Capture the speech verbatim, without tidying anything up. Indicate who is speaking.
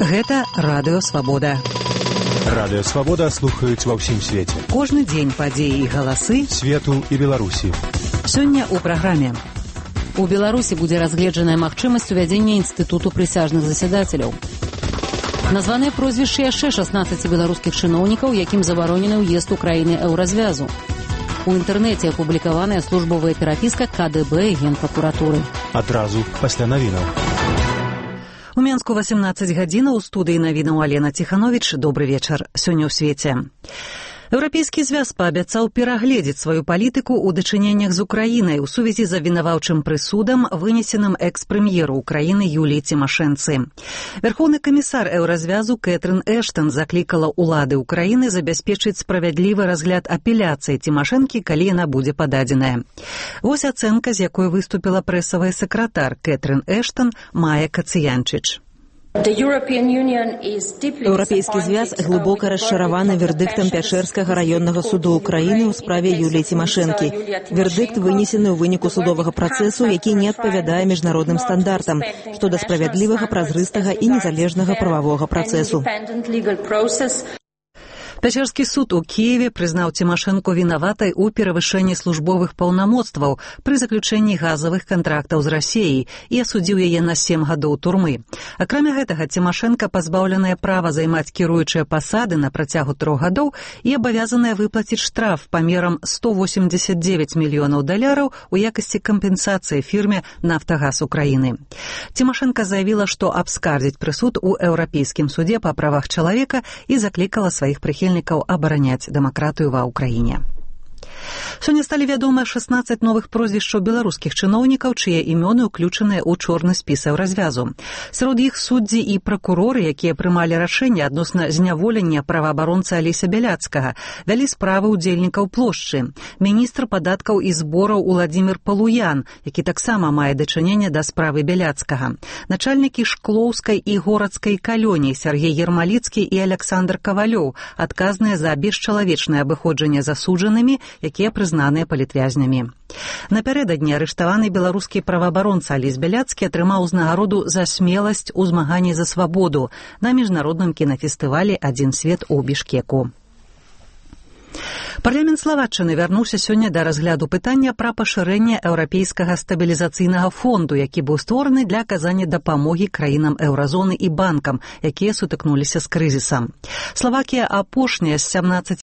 Speaker 1: Гэта Радыё Свабода.
Speaker 2: Радыё Свабода слухаюць ва ўсім свеце.
Speaker 1: Кожны дзень падзеі і галасы
Speaker 2: свету і Беларусі.
Speaker 1: Сёння ў праграме. У Беларусі будзе разгледжаная магчымасць увядзення інстытуту прысяжных засядацеляў. Названыя прозвішчы яшчэ шаснаццаці беларускіх чыноўнікаў, якім забаронены ўезд у краіны еўразвязу. У інтэрнэце апублікаваная службовая перапіска ка дэ бэ і Генпракуратуры.
Speaker 2: Адразу пасля навінаў.
Speaker 1: У Менску васемнаццаць гадзінаў, у студыі навінаў Алена Ціхановіч. Добры вечар. Сёння ў свеце. Еўрапейскі звяз паабяцаў перагледзець сваю палітыку ў дачыненнях з Украінай у сувязі з абвінаваўчым прысудам, вынесеным экс-прэм'еру Украіны Юліі Цімашэнцы. Вярхоўны камісар еўразвязу Кэтрын Эштан заклікала ўлады Украіны забяспечыць справядлівы разгляд апеляцыі Цімашэнкі, калі яна будзе пададзеная. Вось ацэнка, з якой выступіла прэсавая сакратар Кэтрын Эштан Майя Кацыянчыч.
Speaker 3: Еўрапейскі звяз глыбока расчараваны вердыктам Пячэрскага раённага суду Украіны ў справе Юліі Цімашэнкі. Вердыкт вынесены ў выніку судовага працэсу, які не адпавядае міжнародным стандартам, што да справядлівага, празрыстага і незалежнага прававога працэсу.
Speaker 1: Пячэрскі суд у Кіеве прызнаў Цімашэнку вінаватай у перавышэнні службовых паўнамоцтваў пры заключэнні газавых кантрактаў з Расіяй і асудзіў яе на сем гадоў турмы. Акрамя гэтага, Цімашэнка пазбаўленая права займаць кіруючыя пасады на працягу трох гадоў і абавязаная выплаціць штраф памерам сто восемьдесят девять мільёнаў даляраў у якасці кампенсацыі фірме «Нафтагаз Украіны». Цімашэнка заявіла, што абскардзіць прысуд у Еўрапейскім судзе па правах чалавека і заклікала сваіх прыхільнікаў абараняць дэмакратыю ва ўкраіне. Сёння сталі вядомыя шаснаццаць новых прозвішчаў беларускіх чыноўнікаў, чые імёны ўключаныя ў чорны спіс еўразвязу. Сярод іх суддзі і пракуроры, якія прымалі рашэнне адносна зняволення праваабаронцы Алеся Бяляцкага, вялі справы ўдзельнікаў плошчы. Міністр падаткаў і збораў Уладзімір Палуян, які таксама мае дачыненне да справы Бяляцкага. Начальнікі Шклоўскай і Горацкай калоній Сергей Ермаліцкі і Александр Кавалёў, адказныя за бесчалавечнае абыходжанне засуджанымі, якія прызнаныя палітвязнямі. Напярэдадні арыштаваны беларускі праваабаронца Алесь Бяляцкі атрымаў узнагароду за смеласць у змаганні за свабоду на міжнародным кінафестывалі «Адзін свет» у Бішкеку. Парламент Славаччыны вярнуўся сёння да разгляду пытання пра пашырэнне еўрапейскага стабілізацыйнага фонду, які быў створаны для аказання дапамогі краінам еўразоны і банкам, якія сутыкнуліся з крызісам. Славакія апошняя з сямнаццаці